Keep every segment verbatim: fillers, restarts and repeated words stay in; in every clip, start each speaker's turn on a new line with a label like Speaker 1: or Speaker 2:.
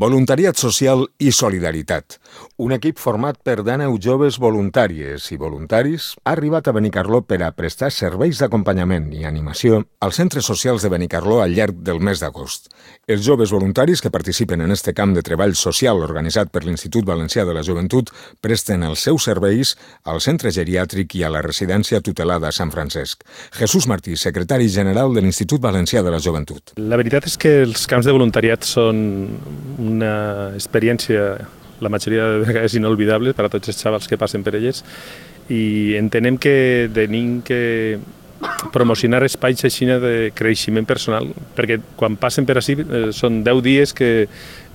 Speaker 1: Voluntariat social i solidaritat. Un equip format per dènou joves voluntàries i voluntaris ha arribat a Benicarló per a prestar serveis d'acompanyament i animació als centres socials de Benicarló al llarg del mes d'agost. Els joves voluntaris que participen en este camp de treball social organitzat per l'Institut Valencià de la Joventut presten els seus serveis al centre geriàtric i a la residència tutelada a Sant Francesc. Jesús Martí, secretari general de l'Institut Valencià de la Joventut.
Speaker 2: La veritat és que els camps de voluntariat són una experiència, la majoria de vegades inolvidable per a tots els xavals que passen per elles, i entenem que tenim que promocionar espais així de creixement personal, perquè quan passen per ací eh, són deu dies, que,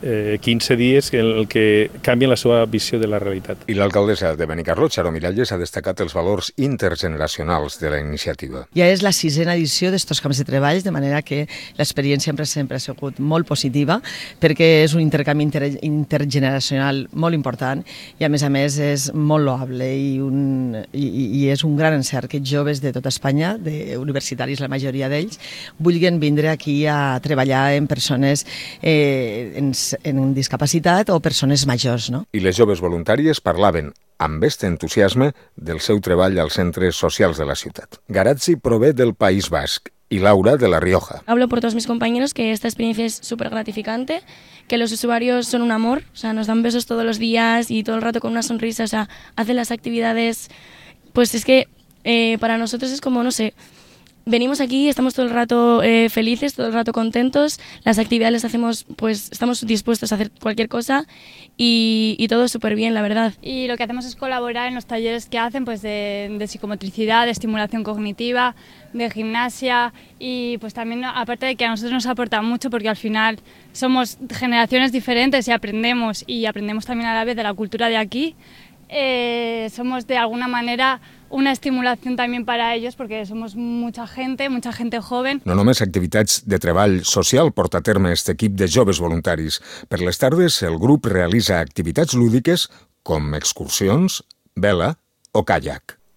Speaker 2: eh, quinze dies en el que canvien la seva visió de la realitat.
Speaker 1: I l'alcaldessa de Benicarló, Charo Miralles, ha destacat els valors intergeneracionals de la iniciativa.
Speaker 3: Ja és la sisena edició d'estos camps de treball, de manera que l'experiència sempre, sempre ha sigut molt positiva, perquè és un intercanvi inter intergeneracional molt important i, a més a més, és molt loable i, un, i, i és un gran encert que joves de tota Espanya, de universitaris, la majoria d'ells, vulguin vindre aquí a treballar en persones eh, en, en discapacitat o persones majors, no?
Speaker 1: I les joves voluntàries parlaven amb este entusiasme del seu treball als centres socials de la ciutat. Garazzi prové del País Basc y Laura de La Rioja.
Speaker 4: Hablo por todos mis compañeros que esta experiencia es súper gratificante, que los usuarios son un amor, o sea, nos dan besos todos los días y todo el rato con una sonrisa, o sea, hacen las actividades, pues es que eh, para nosotros es como, no sé, venimos aquí, estamos todo el rato eh, felices, todo el rato contentos, las actividades las hacemos, pues estamos dispuestos a hacer cualquier cosa y, y todo súper bien, la verdad.
Speaker 5: Y lo que hacemos es colaborar en los talleres que hacen, pues de, de psicomotricidad, de estimulación cognitiva, de gimnasia, y pues también, aparte de que a nosotros nos aporta mucho, porque al final somos generaciones diferentes y aprendemos, y aprendemos también a la vez de la cultura de aquí, eh, somos de alguna manera una estimulación también para ellos, perquè somos mucha gente, mucha gente joven.
Speaker 1: No només activitats de treball social porta a terme aquest equip de joves voluntaris. Per les tardes, el grup realitza activitats lúdiques com excursions, vela o caiac.